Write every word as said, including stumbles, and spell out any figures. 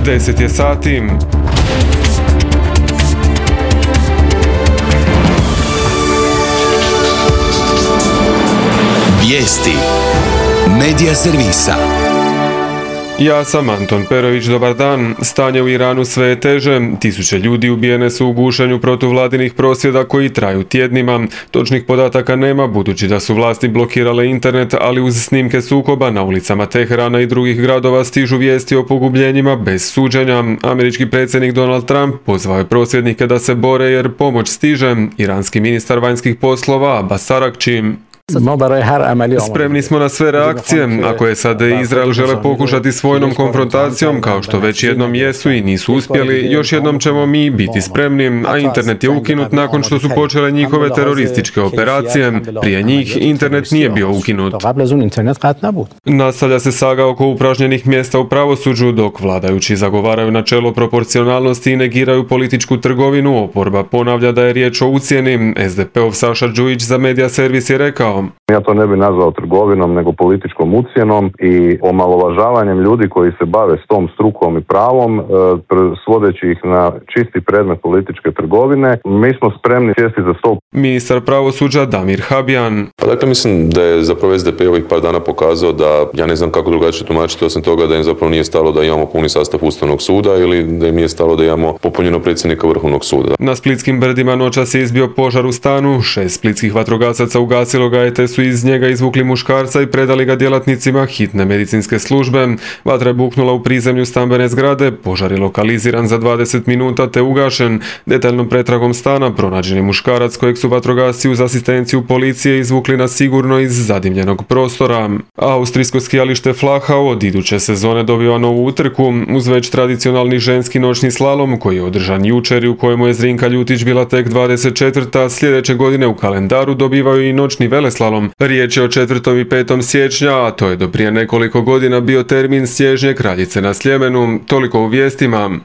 deset je sati. Vijesti Medija servisa. Ja sam Anton Perović, dobar dan. Stanje u Iranu sve je teže. Tisuće ljudi ubijene su u gušenju protuvladinih prosvjeda koji traju tjednima. Točnih podataka nema budući da su vlasti blokirale internet, ali uz snimke sukoba na ulicama Teherana i drugih gradova stižu vijesti o pogubljenjima bez suđenja. Američki predsjednik Donald Trump pozvao je prosvjednike da se bore jer pomoć stiže. Iranski ministar vanjskih poslova Abbas Araghchi: spremni smo na sve reakcije. Ako je sad Izrael žele pokušati s vojnom konfrontacijom, kao što već jednom jesu i nisu uspjeli, još jednom ćemo mi biti spremni, a internet je ukinut nakon što su počele njihove terorističke operacije. Prije njih internet nije bio ukinut. Nastavlja se saga oko upražnjenih mjesta u pravosuđu, dok vladajući zagovaraju načelo proporcionalnosti i negiraju političku trgovinu. Oporba ponavlja da je riječ o ucjeni. es de pe ov Saša Đujić za Medija servis je rekao: ja to ne bi nazvao trgovinom, nego političkom ucjenom i omalovažavanjem ljudi koji se bave s tom strukom i pravom, svodeći ih na čisti predmet političke trgovine. Mi smo spremni sjesti za stol. Ministar pravosuđa Damir Habjan: dakle, mislim da je zapravo es de pe ovih par dana pokazao da, ja ne znam kako drugačije tumačiti, osim toga da im zapravo nije stalo da imamo puni sastav Ustavnog suda ili da im nije stalo da imamo popunjeno predsjednika Vrhovnog suda. Na splitskim brdima noćas je izbio požar u stanu. Šest splitskih vatrogasaca ugasilo ga je, te su iz njega izvukli muškarca i predali ga djelatnicima hitne medicinske službe. Vatra je buknula u prizemlju stambene zgrade, požar je lokaliziran za dvadeset minuta te ugašen. Detaljnom pretragom stana pronađen je muškarac kojeg su vatrogasci uz asistenciju policije izvukli na sigurno iz zadimljenog prostora. Austrijsko skijalište Flachau od iduće sezone dobiva novu utrku uz već tradicionalni ženski noćni slalom koji je održan jučer i u kojemu je Zrinka Ljutić bila tek dvadeset četvrta. Sljedeće godine u kalendaru dobivaju i noćni veleslalom. Riječ je o četvrtom i petom siječnja, a to je do prije nekoliko godina bio termin Snježnje kraljice na Sljemenu. Toliko u vijestima.